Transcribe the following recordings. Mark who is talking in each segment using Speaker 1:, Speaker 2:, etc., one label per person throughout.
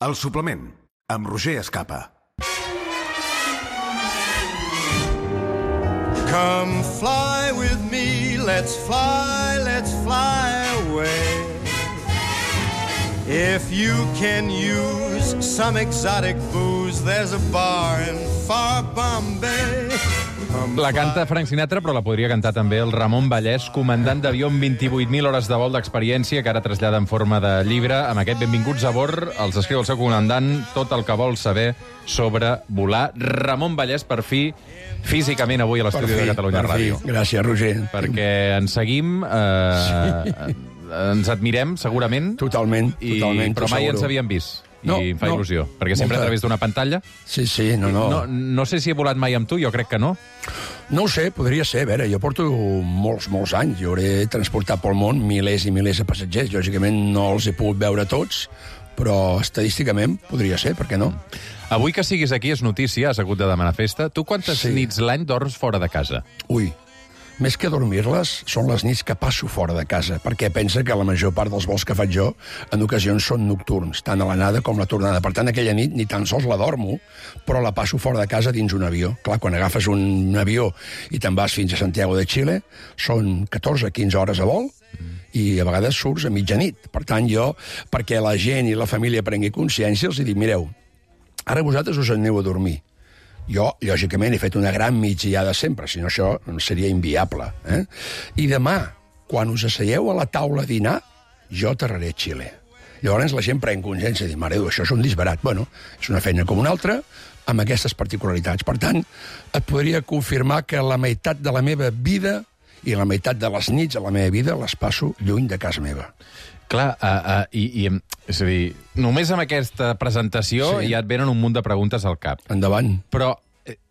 Speaker 1: El suplement, amb Roger Escapa.
Speaker 2: Come fly with me, let's fly away. If you can use some exotic booze, there's a bar in far Bombay.
Speaker 3: La canta Frank Sinatra, però la podria cantar també el Ramon Vallès, comandant d'avió amb 28.000 hores de vol d'experiència, que ara trasllada en forma de llibre. Amb aquest Benvinguts a bord els escriu el seu comandant tot el que vol saber sobre volar. Ramon Vallès, per fi, físicament avui a l'estudi de Catalunya Ràdio.
Speaker 4: Gràcies, Roger.
Speaker 3: Perquè ens seguim, ens admirem, segurament.
Speaker 4: Totalment.
Speaker 3: Però mai ens havíem vist. I em fa il·lusió. Perquè sempre a través d'una pantalla.
Speaker 4: Sí, no.
Speaker 3: No sé si he volat mai amb tu, jo crec que no.
Speaker 4: No ho sé, podria ser. A veure, jo porto molts anys. Jo hauré transportat pel món milers i milers de passatgers. Lògicament no els he pogut veure tots, però estadísticament podria ser, per què no?
Speaker 3: Avui que siguis aquí és notícia, has hagut de demanar festa. Tu quantes nits l'any dorms fora de casa?
Speaker 4: Ui, més que dormir-les, són les nits que passo fora de casa, perquè pensa que la major part dels vols que faig jo en ocasions són nocturns, tant a l'anada com la tornada. Per tant, aquella nit ni tan sols la dormo, però la passo fora de casa dins un avió. Clar, quan agafes un avió i te'n vas fins a Santiago de Xile, són 14-15 hores a vol, i a vegades surts a mitjanit. Per tant, jo, perquè la gent i la família prengui consciència, els dic, mireu, ara vosaltres us aneu a dormir. Jo, lògicament, he fet una gran migdiada sempre, si no això seria inviable. I demà, quan us asseieu a la taula a dinar, jo aterraré a Xile. Llavors la gent pren consciència i diu, mare, això és un disbarat. Bueno, és una feina com una altra, amb aquestes particularitats. Per tant, et podria confirmar que la meitat de la meva vida i la meitat de les nits de la meva vida les passo lluny de casa meva.
Speaker 3: Clar, és a dir, només amb aquesta presentació ja et venen un munt de preguntes al cap.
Speaker 4: Endavant.
Speaker 3: Però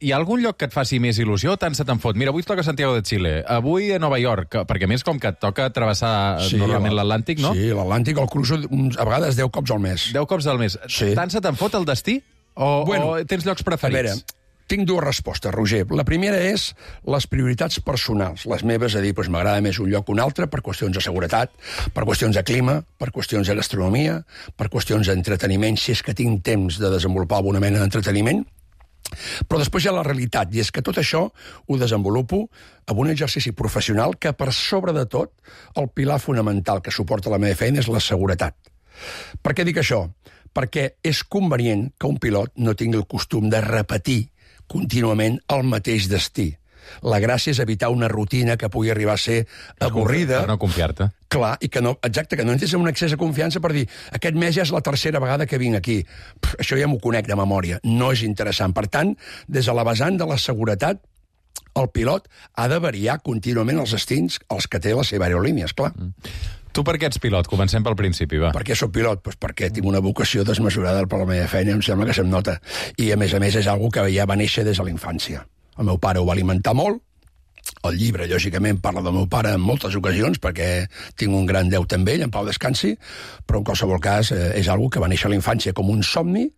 Speaker 3: hi ha algun lloc que et faci més il·lusió o tant se te'n fot? Mira, avui et toca Santiago de Xile, avui a Nova York, perquè a més com que et toca travessar normalment l'Atlàntic, no?
Speaker 4: Sí, l'Atlàntic el cruzo a vegades 10 cops al mes.
Speaker 3: 10 cops al mes.
Speaker 4: Sí.
Speaker 3: Tant se te'n fot el destí? O tens llocs preferits?
Speaker 4: A veure, tinc dues respostes, Roger. La primera és les prioritats personals. Les meves, a dir, m'agrada més un lloc que un altre per qüestions de seguretat, per qüestions de clima, per qüestions de gastronomia, per qüestions d'entreteniment, si és que tinc temps de desenvolupar alguna mena d'entreteniment. Però després hi ha la realitat, i és que tot això ho desenvolupo amb un exercici professional que, per sobre de tot, el pilar fonamental que suporta la meva feina és la seguretat. Per què dic això? Perquè és convenient que un pilot no tingui el costum de repetir contínuament el mateix destí. La gràcia és evitar una rutina que pugui arribar a ser avorrida.
Speaker 3: Per no confiar-te.
Speaker 4: Clar, i que no entres en un excés de confiança per dir aquest mes ja és la tercera vegada que vinc aquí. Això ja m'ho conec de memòria. No és interessant. Per tant, des de la vessant de la seguretat, el pilot ha de variar contínuament els destins als que té la seva aerolínia, esclar.
Speaker 3: Tu per què ets pilot? Comencem pel principi, va.
Speaker 4: Per què soc pilot? Perquè tinc una vocació desmesurada per la meva feina, em sembla que se'm nota. I, a més, és algo que ja va néixer des de la infància. El meu pare ho va alimentar molt. El llibre, lògicament, parla del meu pare en moltes ocasions, perquè tinc un gran deute amb ell, en pau descansi, però en qualsevol cas és algo que va néixer a la infància com un somni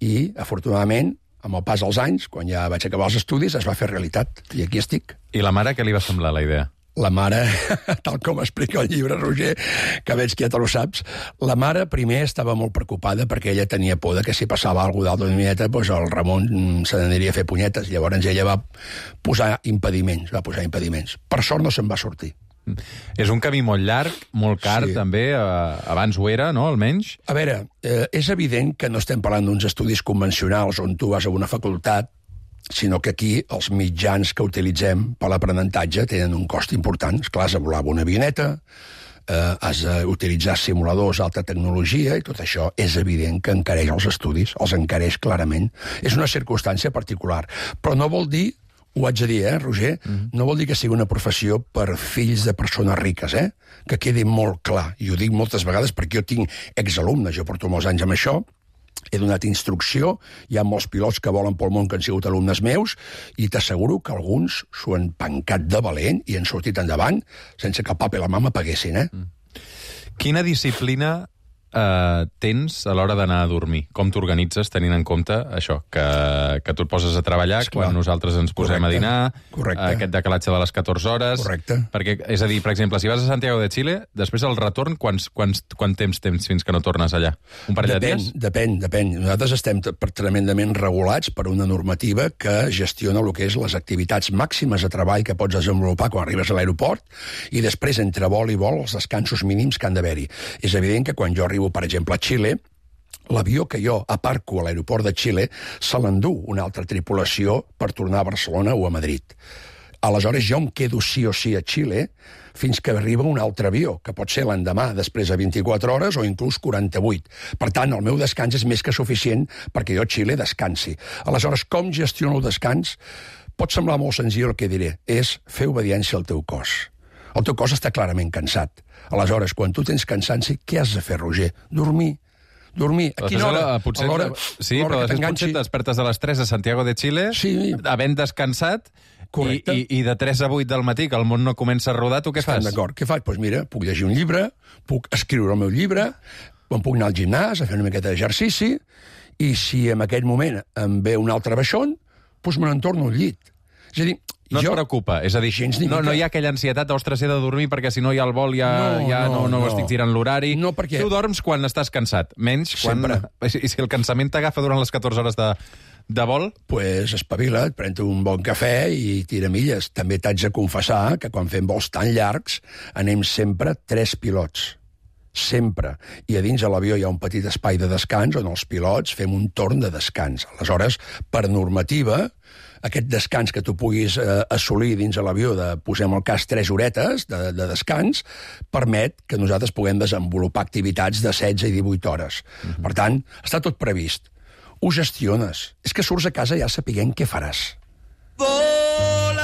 Speaker 4: i, afortunadament, amb el pas dels anys, quan ja vaig acabar els estudis, es va fer realitat. I aquí estic.
Speaker 3: I la mare, què li va semblar la idea?
Speaker 4: La mare, tal com explica el llibre, Roger, que veig que ja te lo saps, la mare primer estava molt preocupada perquè ella tenia por de que si passava alguna cosa d'altra mieta, doncs el Ramon se n'aniria a fer punyetes. Llavors ella va posar impediments. Per sort no se'n va sortir.
Speaker 3: És un camí molt llarg, molt car, també. Abans ho era, no?, almenys.
Speaker 4: A veure, és evident que no estem parlant d'uns estudis convencionals on tu vas a una facultat, sinó que aquí els mitjans que utilitzem per l'aprenentatge tenen un cost important. Esclar, has de volar amb una avioneta, has d'utilitzar simuladors d'alta tecnologia, i tot això és evident que encareix els estudis, els encareix clarament. És una circumstància particular. Però no vol dir, ho haig de dir, Roger, no vol dir que sigui una professió per fills de persones riques, que quedi molt clar. I ho dic moltes vegades perquè jo tinc exalumnes, jo porto molts anys amb això, he donat instrucció, hi ha molts pilots que volen pel món que han sigut alumnes meus, i t'asseguro que alguns s'ho han pencat de valent i han sortit endavant sense que el papa i la mama paguessin,
Speaker 3: Quina disciplina tens a l'hora d'anar a dormir? Com t'organitzes tenint en compte això, que tu et poses a treballar quan nosaltres ens posem a dinar, aquest decalatge de les 14 hores...
Speaker 4: Correcte.
Speaker 3: Perquè, és a dir, per exemple, si vas a Santiago de Chile, després el retorn, quant temps fins que no tornes allà? Un parell de dies?
Speaker 4: Depèn. Nosaltres estem tremendament regulats per una normativa que gestiona el que és les activitats màximes de treball que pots desenvolupar quan arribes a l'aeroport i després, entre vol i vol, els descansos mínims que han d'haver-hi. És evident que quan jo arribo, per exemple, a Xile, l'avió que jo aparco a l'aeroport de Xile se l'endú una altra tripulació per tornar a Barcelona o a Madrid. Aleshores, jo em quedo sí o sí a Xile fins que arriba un altre avió, que pot ser l'endemà, després de 24 hores o inclús 48. Per tant, el meu descans és més que suficient perquè jo a Xile descansi. Aleshores, com gestiono el descans? Pot semblar molt senzill el que diré. És fer obediència al teu cos. El teu cos està clarament cansat. Aleshores, quan tu tens cansanci, què has de fer, Roger? Dormir. A quina hora?
Speaker 3: Sí, però després potser et despertes a les 3 a Santiago de Chile, havent descansat, i de 3 a 8 del matí, que el món no comença a rodar, tu què fas?
Speaker 4: D'acord, què faig? Doncs mira, puc llegir un llibre, puc escriure el meu llibre, em puc anar al gimnàs a fer una miqueta d'exercici, i si en aquell moment em ve un altre baixón, doncs me n'entorno al llit. És a dir,
Speaker 3: no et preocupa, és a dir, no hi ha aquella ansietat, ostres, he de dormir perquè si no hi ha el vol no estic tirant l'horari.
Speaker 4: No, perquè...
Speaker 3: Tu dorms quan estàs cansat, menys quan... I si el cansament t'agafa durant les 14 hores de vol?
Speaker 4: Pues espavila't, pren un bon cafè i tira milles. També t'haig de confessar que quan fem vols tan llargs anem sempre 3 pilots. Sempre. I a dins de l'avió hi ha un petit espai de descans on els pilots fem un torn de descans. Aleshores, per normativa, aquest descans que tu puguis assolir dins de l'avió de, posem el cas, 3 horetes de descans, permet que nosaltres puguem desenvolupar activitats de 16 i 18 hores. Per tant, està tot previst. Ho gestiones. És que surts a casa ja sapiguent què faràs.
Speaker 2: Volare.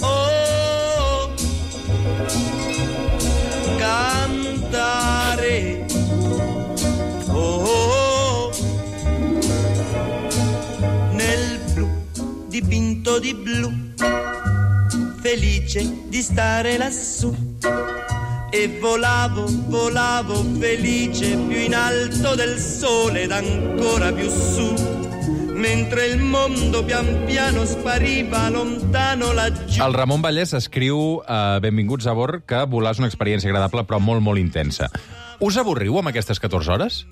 Speaker 2: Oh. Cantare. Oh. Nel blu dipinto di blu, felice di stare lassù. E volavo felice più in alto del sole ed ancora più su, mentre il mondo pian piano spariva lontano laggiù.
Speaker 3: El Ramon Vallès escriu a Benvinguts a bord que volar és una experiència agradable però molt, molt intensa. Us avorriu amb aquestes 14 hores?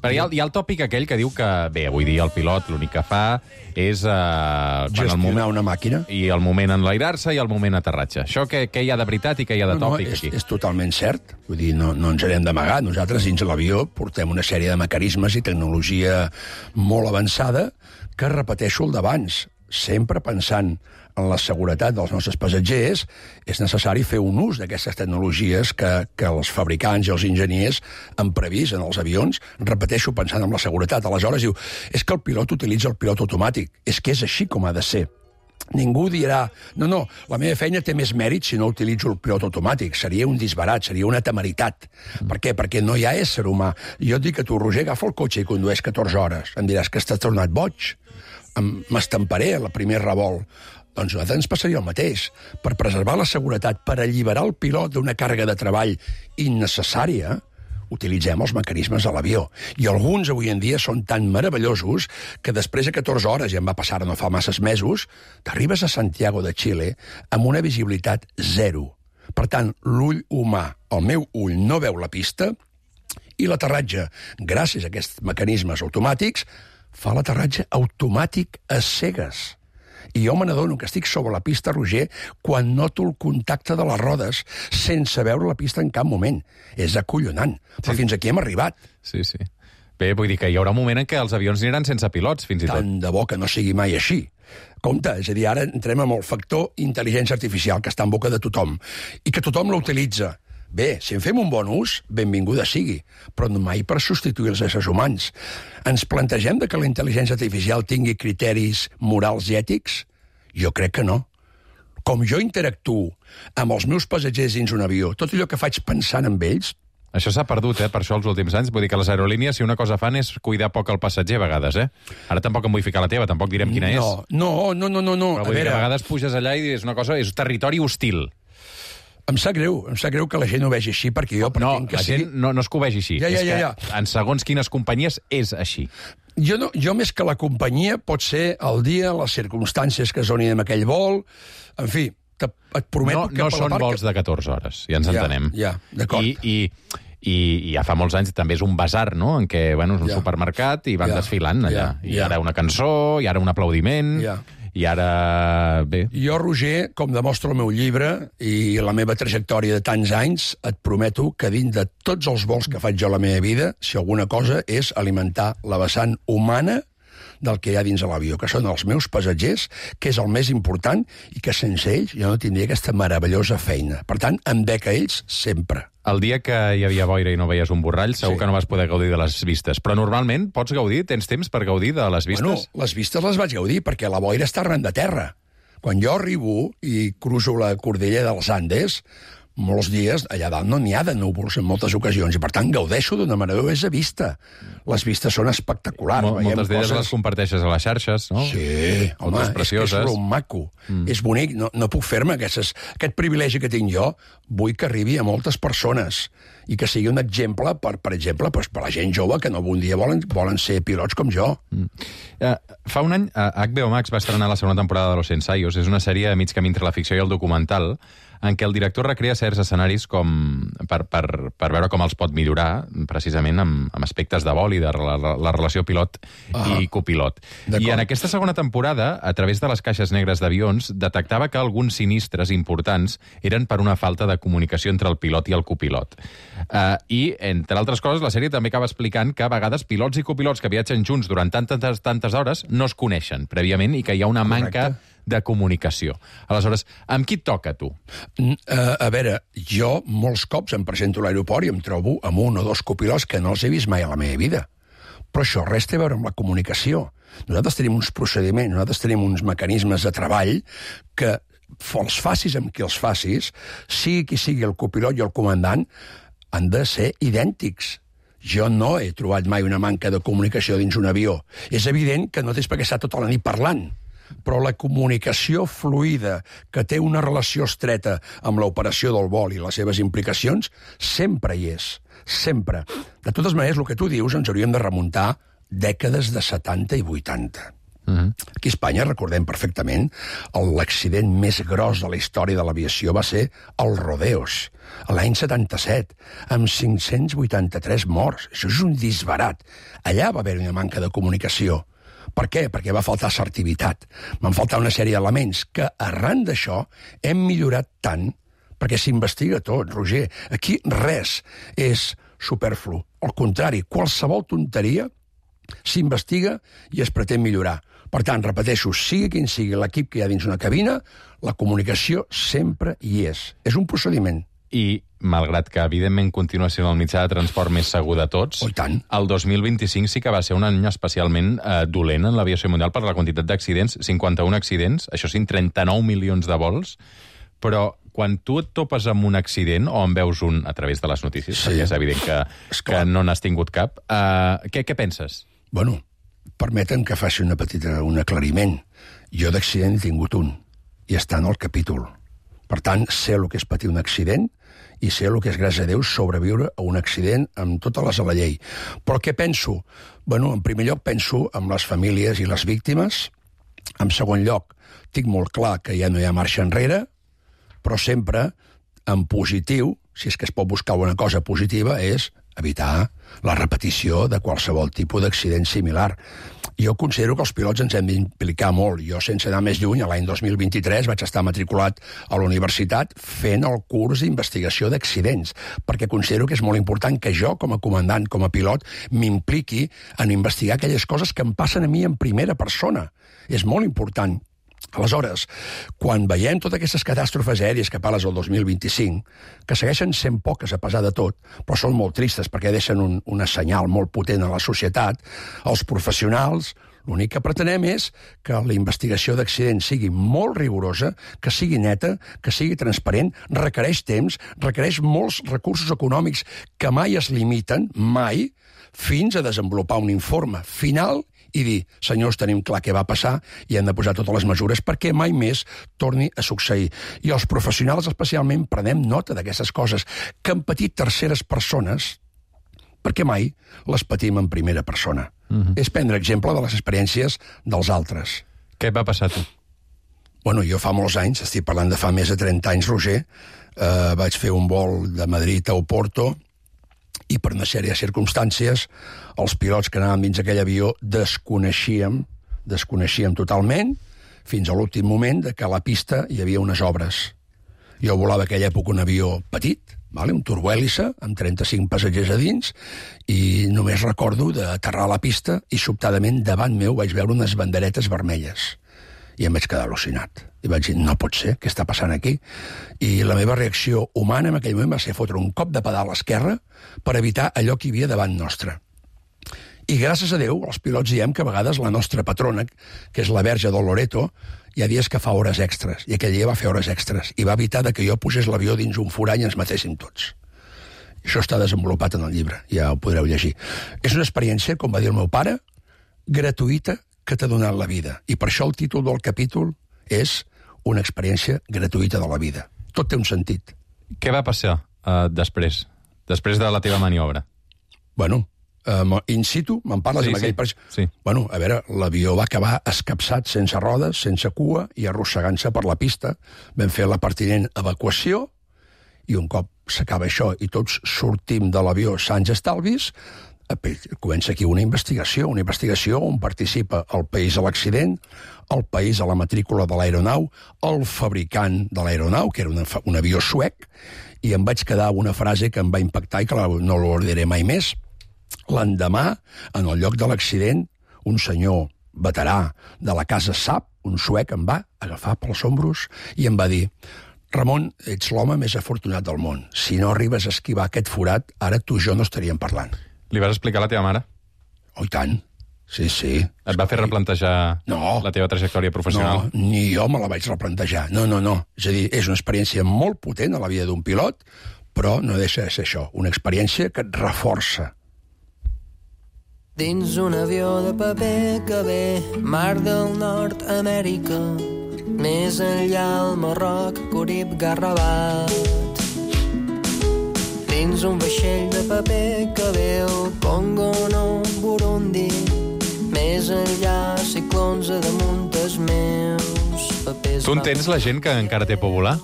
Speaker 3: Perquè hi ha el tòpic aquell que diu que, bé, avui dia el pilot l'únic que fa és...
Speaker 4: gestionar una màquina.
Speaker 3: I el moment enlairar-se i el moment aterratge. Això què hi ha de veritat i què hi ha de tòpic aquí?
Speaker 4: És totalment cert. Vull dir, no ens n'hem d'amagar. Nosaltres, dins de l'avió, portem una sèrie de mecanismes i tecnologia molt avançada que repeteixo el d'abans. Sempre pensant en la seguretat dels nostres passatgers, és necessari fer un ús d'aquestes tecnologies que els fabricants i els enginyers han previst en els avions, repeteixo, pensant en la seguretat. Aleshores diu, és que el pilot utilitza el pilot automàtic. És que és així com ha de ser. Ningú dirà, no, la meva feina té més mèrit si no utilitzo el pilot automàtic. Seria un disbarat, seria una temeritat. Per què? Perquè no hi ha ésser humà. Jo et dic que tu, Roger, agafa el cotxe i condueix 14 hores. Em diràs que estàs tornat boig. M'estamparé a la primer revolt. Doncs a nosaltres ens passaria el mateix. Per preservar la seguretat, per alliberar el pilot d'una càrrega de treball innecessària, utilitzem els mecanismes de l'avió. I alguns avui en dia són tan meravellosos que després de 14 hores, ja em va passar no fa masses mesos, t'arribes a Santiago de Chile amb una visibilitat 0. Per tant, l'ull humà, el meu ull, no veu la pista i l'aterratge, gràcies a aquests mecanismes automàtics, fa l'aterratge automàtic a cegues. I jo me n'adono que estic sobre la pista, Roger, quan noto el contacte de les rodes sense veure la pista en cap moment. És acollonant. Però fins aquí hem arribat.
Speaker 3: Sí. Bé, vull dir que hi haurà un moment en què els avions aniran sense pilots, fins i tot.
Speaker 4: Tant de bo que no sigui mai així. Compte, és a dir, ara entrem amb el factor intel·ligència artificial, que està en boca de tothom, i que tothom la utilitza. Bé, si en fem un bon ús, benvinguda sigui, però no mai per substituir els éssers humans. Ens plantegem que la intel·ligència artificial tingui criteris morals i ètics? Jo crec que no. Com jo interactuo amb els meus passatgers dins un avió, tot allò que faig pensant en ells...
Speaker 3: Això s'ha perdut, per això, els últims anys. Vull dir que les aerolínies, si una cosa fan, és cuidar poc el passatger, a vegades, Ara tampoc em vull ficar la teva, tampoc direm quina és.
Speaker 4: No.
Speaker 3: Però vull dir que a vegades puges allà i és una cosa, és territori hostil.
Speaker 4: Em sap greu que la gent ho vegi així, perquè jo pretenc que sigui...
Speaker 3: No, la gent no és que ho vegi així. És que en segons quines companyies és així.
Speaker 4: Jo més que la companyia pot ser el dia, les circumstàncies que es donin en aquell vol, en fi, et prometo que...
Speaker 3: No són vols de 14 hores, ja ens entenem.
Speaker 4: Ja, d'acord.
Speaker 3: I ja fa molts anys també és un basar, no?, en què, bueno, és un supermercat i van desfilant allà. I ara una cançó, i ara un aplaudiment... I ara, bé...
Speaker 4: Jo, Roger, com demostra el meu llibre i la meva trajectòria de tants anys, et prometo que dins de tots els vols que faig jo a la meva vida, si alguna cosa és alimentar la vessant humana del que hi ha dins de l'avió, que són els meus passatgers, que és el més important, i que sense ells jo no tindria aquesta meravellosa feina. Per tant, em dec a ells sempre.
Speaker 3: El dia que hi havia boira i no veies un borrall, segur que no vas poder gaudir de les vistes. Però normalment pots gaudir, tens temps per gaudir de les vistes?
Speaker 4: Bueno, les vistes les vaig gaudir, perquè la boira està arran de terra. Quan jo arribo i cruzo la cordella dels Andes, molts dies allà dalt no n'hi ha de núvols en moltes ocasions, i per tant gaudeixo d'una meravellosa vista. Les vistes són espectaculars.
Speaker 3: Moltes d'elles les comparteixes a les xarxes, no?
Speaker 4: Sí, home, és lo maco. És bonic, no puc fer-me aquest privilegi que tinc jo, vull que arribi a moltes persones i que sigui un exemple, per exemple, per la gent jove que no un dia volen ser pilots com jo.
Speaker 3: Fa un any, HBO Max va estrenar la segona temporada de Los Ensayos. És una sèrie a mig camí entre la ficció i el documental, en què el director recrea certs escenaris per veure com els pot millorar, precisament amb aspectes de vol i de la relació pilot i copilot. I en aquesta segona temporada, a través de les caixes negres d'avions, detectava que alguns sinistres importants eren per una falta de comunicació entre el pilot i el copilot. I, entre altres coses, la sèrie també acaba explicant que a vegades pilots i copilots que viatgen junts durant tantes hores no es coneixen prèviament i que hi ha una manca de comunicació. Aleshores, amb qui et toca, tu?
Speaker 4: A veure, jo molts cops em presento a l'aeroport i em trobo amb un o dos copilots que no els he vist mai a la meva vida. Però això res té a veure amb la comunicació. Nosaltres tenim uns procediments, nosaltres tenim uns mecanismes de treball que els facis amb qui els facis, sigui qui sigui el copilot i el comandant, han de ser idèntics. Jo no he trobat mai una manca de comunicació dins un avió. És evident que no tens per què estar tota la nit parlant, però la comunicació fluida, que té una relació estreta amb l'operació del vol i les seves implicacions, sempre hi és. Sempre. De totes maneres, el que tu dius ens hauríem de remuntar dècades de 70 i 80. Aquí a Espanya, recordem perfectament, l'accident més gros de la història de l'aviació va ser el Rodeos, l'any 77, amb 583 morts. Això és un disbarat. Allà va haver una manca de comunicació. Per què? Perquè va faltar assertivitat. Van faltar una sèrie d'elements que, arran d'això, hem millorat tant, perquè s'investiga tot, Roger. Aquí res és superflu. Al contrari, qualsevol tonteria s'investiga i es pretén millorar. Per tant, repeteixo, sigui quin sigui l'equip que hi ha dins una cabina, la comunicació sempre hi és. És un procediment.
Speaker 3: I, malgrat que, evidentment, continua sent el mitjà de transport més segur de tots, el 2025 sí que va ser un any especialment dolent en l'aviació mundial per la quantitat d'accidents, 51 accidents, això sí, 39 milions de vols, però quan tu et topes amb un accident, o en veus un a través de les notícies, perquè és evident que no n'has tingut cap, què penses?
Speaker 4: Bueno, permeten que faci un aclariment. Jo d'accident he tingut un, i està en el capítol. Per tant, sé el que és patir un accident i sé el que és, gràcies a Déu, sobreviure a un accident amb totes les a la llei. Però què penso? Bueno, en primer lloc penso en les famílies i les víctimes. En segon lloc, tinc molt clar que ja no hi ha marxa enrere, però sempre en positiu, si és que es pot buscar alguna cosa positiva, és evitar la repetició de qualsevol tipus d'accident similar. Jo considero que els pilots ens hem d'implicar molt. Jo, sense anar més lluny, l'any 2023 vaig estar matriculat a la universitat fent el curs d'investigació d'accidents, perquè considero que és molt important que jo, com a comandant, com a pilot, m'impliqui en investigar aquelles coses que em passen a mi en primera persona. És molt important. Aleshores, quan veiem totes aquestes catàstrofes aèries que parles el 2025, que segueixen sent poques a pesar de tot, però són molt tristes perquè deixen un senyal molt potent a la societat, els professionals, l'únic que pretenem és que la investigació d'accidents sigui molt rigorosa, que sigui neta, que sigui transparent, requereix temps, requereix molts recursos econòmics que mai es limiten, mai, fins a desenvolupar un informe final i dir, senyors, tenim clar què va passar i hem de posar totes les mesures perquè mai més torni a succeir. I els professionals especialment prenem nota d'aquestes coses que han patit terceres persones perquè mai les patim en primera persona. És prendre exemple de les experiències dels altres.
Speaker 3: Què et va passar a tu?
Speaker 4: Bueno, jo fa molts anys, estic parlant de fa més de 30 anys, Roger, vaig fer un vol de Madrid a Oporto i per una sèrie de circumstàncies els pilots que anàvem dins aquell avió desconeixíem totalment fins a l'últim moment de que a la pista hi havia unes obres. Jo volava aquella època un avió petit, un turbohèlice, amb 35 passatgers a dins, i només recordo d'aterrar a la pista i sobtadament davant meu vaig veure unes banderetes vermelles. I em vaig quedar al·lucinat. I vaig dir, no pot ser, què està passant aquí? I la meva reacció humana en aquell moment va ser fotre un cop de pedal a l'esquerra per evitar allò que hi havia davant nostre. I gràcies a Déu, els pilots diem que a vegades la nostra patrona, que és la Verge del Loreto, hi ha dies que fa hores extres, i aquell dia va fer hores extres, i va evitar que jo posés l'avió dins un forany i ens matéssim tots. Això està desenvolupat en el llibre, ja ho podreu llegir. És una experiència, com va dir el meu pare, gratuïta que t'ha donat la vida. I per això el títol del capítol és una experiència gratuïta de la vida. Tot té un sentit.
Speaker 3: Què va passar després de la teva maniobra?
Speaker 4: Bueno, in situ, me'n parles amb aquell...
Speaker 3: Sí.
Speaker 4: Bueno, a veure, l'avió va acabar escapçat sense rodes, sense cua i arrossegant-se per la pista. Vam fer la pertinent evacuació i un cop s'acaba això i tots sortim de l'avió sans estalvis, comença aquí una investigació on participa el país a l'accident, el país a la matrícula de l'aeronau, el fabricant de l'aeronau, que era un avió suec, i em vaig quedar amb una frase que em va impactar i que no l'oblidaré mai més. L'endemà, en el lloc de l'accident, un senyor veterà de la casa Saab, un suec, em va agafar pels ombros i em va dir: Ramon, ets l'home més afortunat del món. Si no arribes a esquivar aquest forat, ara tu i jo no estaríem parlant.
Speaker 3: Li vas explicar a la teva mare?
Speaker 4: Oh, i tant. Sí.
Speaker 3: Et va fer replantejar la teva trajectòria professional?
Speaker 4: No, ni jo me la vaig replantejar. No. És a dir, és una experiència molt potent a la vida d'un pilot, però no deixa de ser això, una experiència que et reforça.
Speaker 5: Dins un avió de paper que ve Mar del Nord, Amèrica, més enllà el Marroc, Curib, Garrabat. Dins un vaixell de paper que veu Congo, no, Burundi, més enllà ciclons a damunt dels meus papers.
Speaker 3: Tu entens la gent que encara té por volar?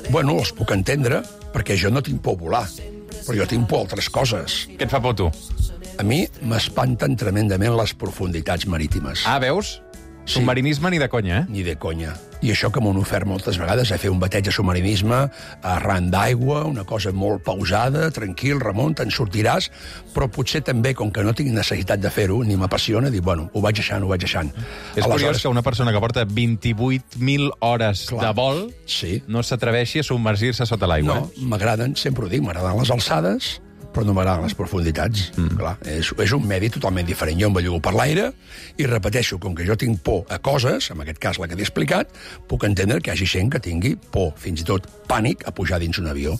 Speaker 4: Bueno, els puc entendre, perquè jo no tinc por volar, però jo tinc por a altres coses.
Speaker 3: Què et fa por, tu?
Speaker 4: A mi m'espanten tremendament les profunditats marítimes.
Speaker 3: Ah, veus?
Speaker 4: Sí.
Speaker 3: Submarinisme ni de conya,
Speaker 4: Ni de conya. I això que m'ho han ofert moltes vegades, a fer un bateig de submarinisme arran d'aigua, una cosa molt pausada, tranquil, Ramon, te'n sortiràs, però potser també, com que no tinc necessitat de fer-ho, ni m'apassiona, dir, bueno, ho vaig deixant.
Speaker 3: És curiós que una persona que porta 28.000 hores de vol no s'atreveixi a submergir-se sota l'aigua.
Speaker 4: No, m'agraden, sempre ho dic, m'agraden les alçades, però no m'agraden les profunditats. Clar, és un medi totalment diferent. Jo em bellugo per l'aire i repeteixo, com que jo tinc por a coses, en aquest cas la que t'he explicat, puc entendre que hi hagi gent que tingui por, fins i tot pànic, a pujar dins un avió.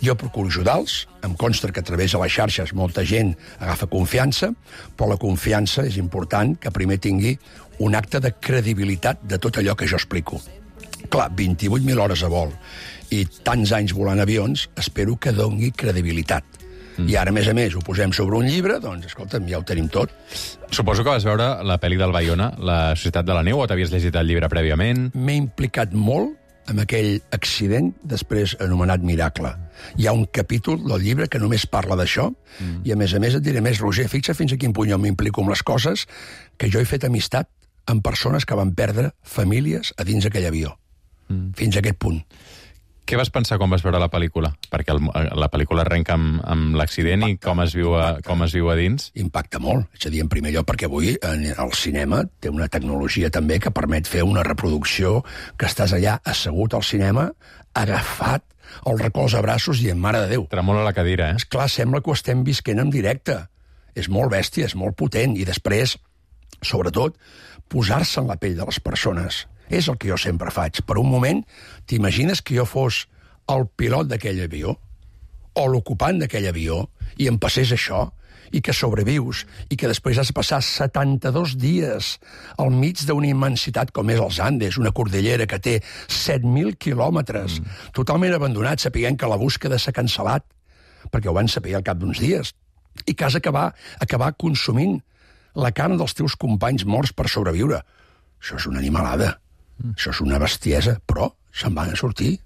Speaker 4: Jo procuro ajudar-los, em consta que a través de les xarxes molta gent agafa confiança, però la confiança és important que primer tingui un acte de credibilitat de tot allò que jo explico. Clar, 28.000 hores a vol i tants anys volant avions, espero que doni credibilitat. I ara, a més, ho posem sobre un llibre, doncs, escolta'm, ja ho tenim tot.
Speaker 3: Suposo que vas veure la pel·li del Baiona, La Societat de la Neu, o t'havies llegit el llibre prèviament?
Speaker 4: M'he implicat molt amb aquell accident després anomenat Miracle. Hi ha un capítol del llibre que només parla d'això, i a més et diré més, Roger, fixa fins a quin punt jo m'implico amb les coses, que jo he fet amistat amb persones que van perdre famílies a dins aquell avió. Fins a aquest punt.
Speaker 3: Què vas pensar quan vas veure la pel·lícula? Perquè la pel·lícula arrenca amb l'accident i com es viu a dins.
Speaker 4: Impacta molt. És a dir, en primer lloc, perquè avui el cinema té una tecnologia també que permet fer una reproducció que estàs allà assegut al cinema, agafat, el recolza a braços i en mare de Déu.
Speaker 3: Tremola la cadira, eh?
Speaker 4: Esclar, sembla que ho estem visquent en directe. És molt bèstia, és molt potent. I després, sobretot, posar-se en la pell de les persones. És el que jo sempre faig. Per un moment, t'imagines que jo fos el pilot d'aquell avió? o l'ocupant d'aquell avió, i em passés això, i que sobrevius, i que després has de passar 72 dies al mig d'una immensitat com és els Andes, una cordillera que té 7.000 quilòmetres, totalment abandonat, sapiguent que la búsqueda s'ha cancel·lat, perquè ho van saber al cap d'uns dies, i que has d'acabar consumint la carn dels teus companys morts per sobreviure. Això és una animalada, això és una bestiesa, però se'n van a sortir.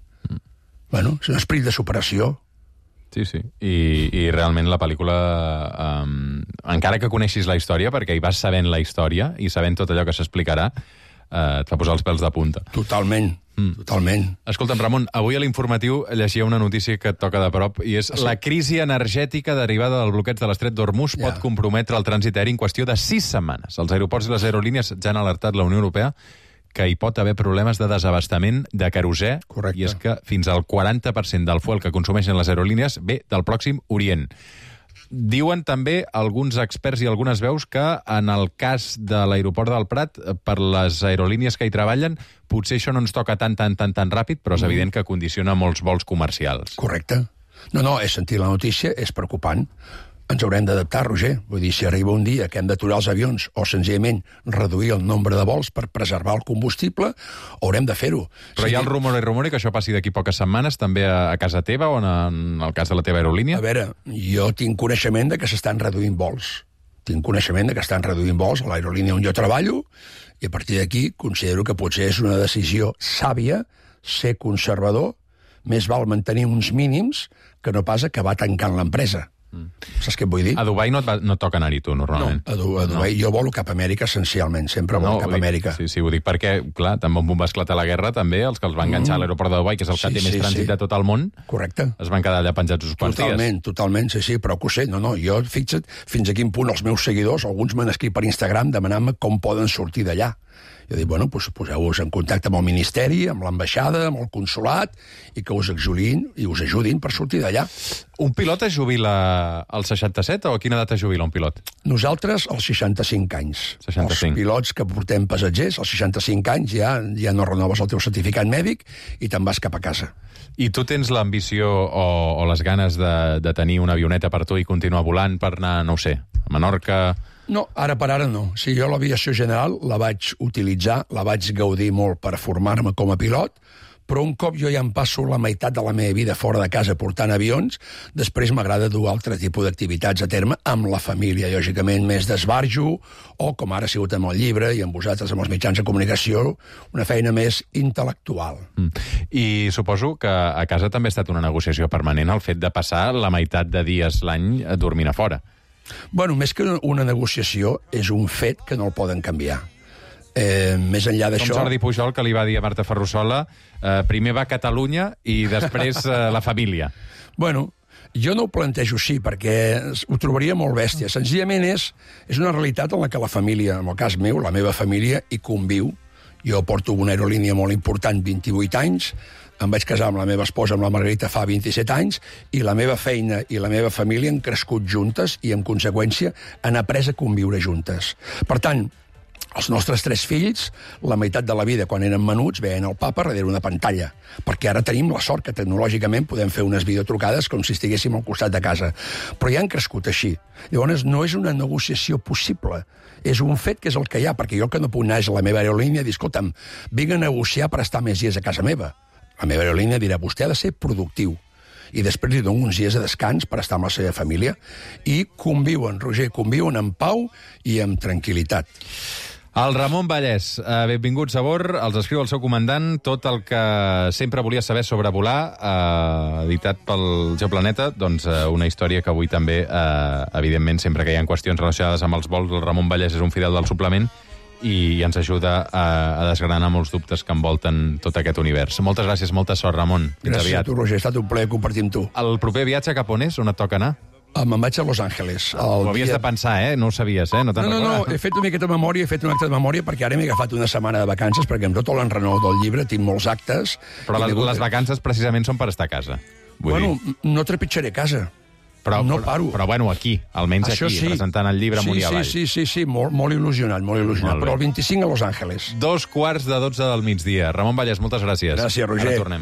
Speaker 4: Bueno, és un esperit de superació.
Speaker 3: Sí, sí. I realment la pel·lícula, encara que coneixis la història, perquè hi vas sabent la història i sabent tot allò que s'explicarà, et fa posar els pèls de punta.
Speaker 4: Totalment, totalment.
Speaker 3: Escolta'm, Ramon, avui a l'informatiu llegia una notícia que et toca de prop, i és la crisi energètica derivada del bloqueig de l'estret d'Hormuz pot comprometre el trànsit aeri en qüestió de 6 setmanes. Els aeroports i les aerolínies ja han alertat la Unió Europea que hi pot haver problemes de desabastament de querosè.
Speaker 4: Correcte.
Speaker 3: I és que fins al 40% del fuel que consumeixen les aerolínies ve del Pròxim Orient. Diuen també alguns experts i algunes veus que en el cas de l'aeroport del Prat, per les aerolínies que hi treballen, potser això no ens toca tan ràpid, però és evident que condiciona molts vols comercials.
Speaker 4: Correcte. No, he sentit la notícia, és preocupant. Ens haurem d'adaptar, Roger. Vull dir, si arriba un dia que hem d'aturar els avions o senzillament reduir el nombre de vols per preservar el combustible, haurem de fer-ho.
Speaker 3: Però hi ha el rumor que això passi d'aquí poques setmanes, també a casa teva o en el cas de la teva aerolínia?
Speaker 4: A veure, jo tinc coneixement de que s'estan reduint vols. Tinc coneixement de que estan reduint vols a l'aerolínia on jo treballo, i a partir d'aquí considero que potser és una decisió sàvia ser conservador, més val mantenir uns mínims que no pas acabar tancant l'empresa. Saps què et vull dir?
Speaker 3: A Dubai no et toca anar-hi tu, normalment.
Speaker 4: No, a Dubai jo volo cap a Amèrica essencialment, sempre volo cap a Amèrica.
Speaker 3: Sí, ho dic perquè, clar, també on va esclatar la guerra, també els que els van enganxar a l'aeroport de Dubai, que és el que té més trànsit de tot el món,
Speaker 4: correcte,
Speaker 3: es van quedar allà penjats uns quants dies.
Speaker 4: Totalment, sí, però que ho sé. No, jo, fixa't, fins a quin punt els meus seguidors, alguns m'han escrit per Instagram demanant-me com poden sortir d'allà. Jo dic, bueno, doncs poseu-vos en contacte amb el Ministeri, amb l'ambaixada, amb el consolat, i que us ajudin per sortir d'allà.
Speaker 3: Un pilot es jubila als 67 o a quina edat es jubila un pilot?
Speaker 4: Nosaltres, als 65 anys.
Speaker 3: 65.
Speaker 4: Els pilots que portem passatgers, als 65 anys ja no renoves el teu certificat mèdic i te'n vas cap a casa.
Speaker 3: I tu tens l'ambició o les ganes de tenir una avioneta per tu i continuar volant per anar, no ho sé, a Menorca?
Speaker 4: No, ara per ara no. Si jo l'aviació general la vaig utilitzar, la vaig gaudir molt per formar-me com a pilot, però un cop jo ja em passo la meitat de la meva vida fora de casa portant avions, després m'agrada dur altre tipus d'activitats a terme amb la família, lògicament més d'esbarjo, o com ara ha sigut amb el llibre i amb vosaltres amb els mitjans de comunicació, una feina més intel·lectual.
Speaker 3: I suposo que a casa també ha estat una negociació permanent el fet de passar la meitat de dies l'any dormint a fora.
Speaker 4: Bueno, més que una negociació, és un fet que no el poden canviar. Més enllà d'això...
Speaker 3: Com Jordi Pujol, que li va dir a Marta Ferrusola, primer va Catalunya i després la família.
Speaker 4: Bueno, jo no ho plantejo així, perquè ho trobaria molt bèstia. Senzillament és una realitat en la que la família, en el cas meu, la meva família, hi conviu. Jo porto una aerolínia molt important, 28 anys, em vaig casar amb la meva esposa, amb la Margarita, fa 27 anys, i la meva feina i la meva família han crescut juntes i, en conseqüència, han après a conviure juntes. Per tant, els nostres 3 fills, la meitat de la vida, quan eren menuts, veien el papa darrere una pantalla, perquè ara tenim la sort que tecnològicament podem fer unes videotrucades com si estiguéssim al costat de casa. Però ja han crescut així. Llavors, no és una negociació possible. És un fet que és el que hi ha, perquè jo que no puc anar a la meva aerolínia i dir, escolta'm, vinc a negociar per estar més dies a casa meva. La meva aerolínia dirà, vostè ha de ser productiu. I després li dono uns dies de descans per estar amb la seva família. I conviuen, Roger, conviuen en pau i amb tranquil·litat.
Speaker 3: El Ramon Vallès, benvinguts a bord, els escriu el seu comandant tot el que sempre volia saber sobre volar, editat pel Geoplaneta, doncs una història que avui també, evidentment, sempre que hi ha qüestions relacionades amb els vols, el Ramon Vallès és un fidel del suplement i ens ajuda a desgranar molts dubtes que envolten tot aquest univers. Moltes gràcies, molta sort, Ramon.
Speaker 4: Gràcies a tu, Roger, ha estat un plaer compartir amb tu.
Speaker 3: El proper viatge cap on és? On et toca anar?
Speaker 4: Me'n vaig a Los Angeles.
Speaker 3: Ho havies de pensar, No ho sabies, No,
Speaker 4: he fet una miqueta de memòria, he fet un acte de memòria, perquè ara m'he agafat una setmana de vacances, perquè amb tot l'enrenou del llibre tinc molts actes.
Speaker 3: Però les vacances precisament són per estar a casa.
Speaker 4: No trepitjaré casa.
Speaker 3: Però,
Speaker 4: no paro.
Speaker 3: Però bueno, aquí, almenys
Speaker 4: això
Speaker 3: aquí,
Speaker 4: sí.
Speaker 3: Presentant el llibre amunt i avall.
Speaker 4: Sí, molt il·lusionat, molt il·lusionat. Però el 25 a Los Angeles.
Speaker 3: 2:45 del migdia. Ramon Vallès, moltes gràcies.
Speaker 4: Gràcies, Roger.
Speaker 3: Ara tornem.